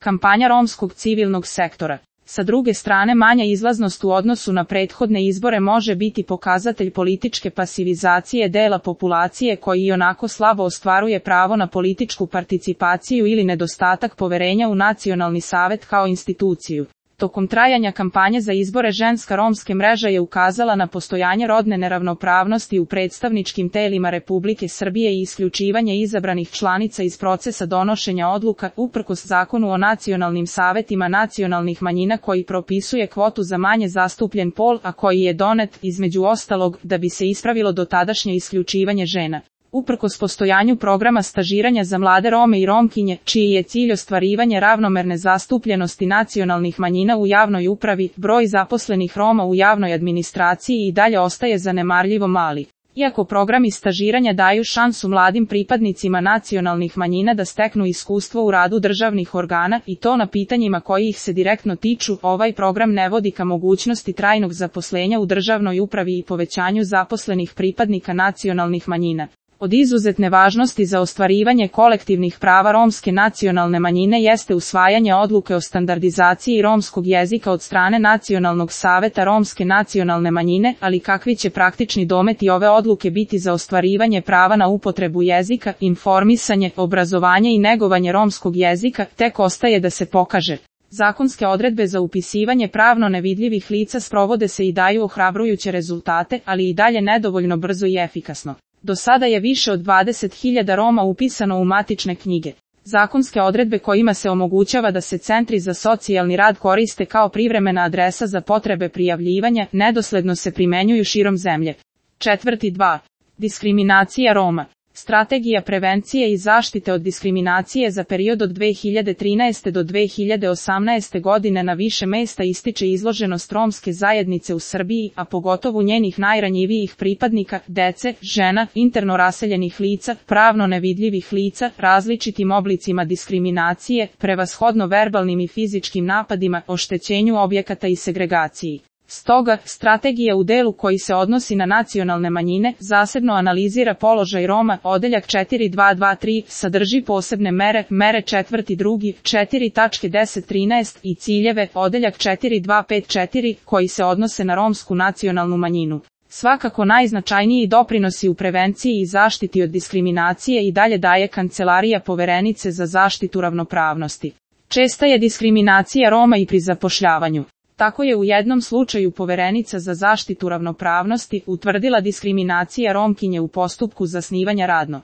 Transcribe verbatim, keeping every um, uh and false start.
Kampanja romskog civilnog sektora. Sa druge strane, manja izlaznost u odnosu na prethodne izbore može biti pokazatelj političke pasivizacije dela populacije koji ionako slabo ostvaruje pravo na političku participaciju ili nedostatak poverenja u Nacionalni savet kao instituciju. Tokom trajanja kampanje za izbore Ženska romske mreža je ukazala na postojanje rodne neravnopravnosti u predstavničkim telima Republike Srbije i isključivanje izabranih članica iz procesa donošenja odluka uprkos Zakonu o nacionalnim savetima nacionalnih manjina koji propisuje kvotu za manje zastupljen pol, a koji je donet, između ostalog, da bi se ispravilo dotadašnje isključivanje žena. Uprkos postojanju programa stažiranja za mlade Rome i Romkinje, čiji je cilj ostvarivanje ravnomerne zastupljenosti nacionalnih manjina u javnoj upravi, broj zaposlenih Roma u javnoj administraciji i dalje ostaje zanemarljivo mali. Iako programi stažiranja daju šansu mladim pripadnicima nacionalnih manjina da steknu iskustvo u radu državnih organa i to na pitanjima koji ih se direktno tiču, ovaj program ne vodi ka mogućnosti trajnog zaposlenja u državnoj upravi i povećanju zaposlenih pripadnika nacionalnih manjina. Od izuzetne važnosti za ostvarivanje kolektivnih prava romske nacionalne manjine jeste usvajanje odluke o standardizaciji romskog jezika od strane Nacionalnog saveta romske nacionalne manjine, ali kakvi će praktični dometi ove odluke biti za ostvarivanje prava na upotrebu jezika, informisanje, obrazovanje i negovanje romskog jezika, tek ostaje da se pokaže. Zakonske odredbe za upisivanje pravno nevidljivih lica sprovode se i daju ohrabrujuće rezultate, ali i dalje nedovoljno brzo i efikasno. Do sada je više od dvadeset hiljada Roma upisano u matične knjige. Zakonske odredbe kojima se omogućava da se centri za socijalni rad koriste kao privremena adresa za potrebe prijavljivanja, nedosledno se primenjuju širom zemlje. Četvrti dva. Diskriminacija Roma. Strategija prevencije i zaštite od diskriminacije za period od dve hiljade trinaeste do dve hiljade osamnaeste godine na više mesta ističe izloženost romske zajednice u Srbiji, a pogotovo njenih najranjivijih pripadnika, dece, žena, interno raseljenih lica, pravno nevidljivih lica, različitim oblicima diskriminacije, prevashodno verbalnim i fizičkim napadima, oštećenju objekata i segregaciji. Stoga, strategija u delu koji se odnosi na nacionalne manjine zasebno analizira položaj Roma, odeljak četiri dva dva tri, sadrži posebne mere, mere četvrti drugi, četiri tačke deset trinaest i ciljeve, odeljak četiri dva pet četiri, koji se odnose na romsku nacionalnu manjinu. Svakako najznačajniji doprinosi u prevenciji i zaštiti od diskriminacije i dalje daje Kancelarija Poverenice za zaštitu ravnopravnosti. Česta je diskriminacija Roma i pri zapošljavanju. Tako je u jednom slučaju Poverenica za zaštitu ravnopravnosti utvrdila diskriminacija Romkinje u postupku zasnivanja radno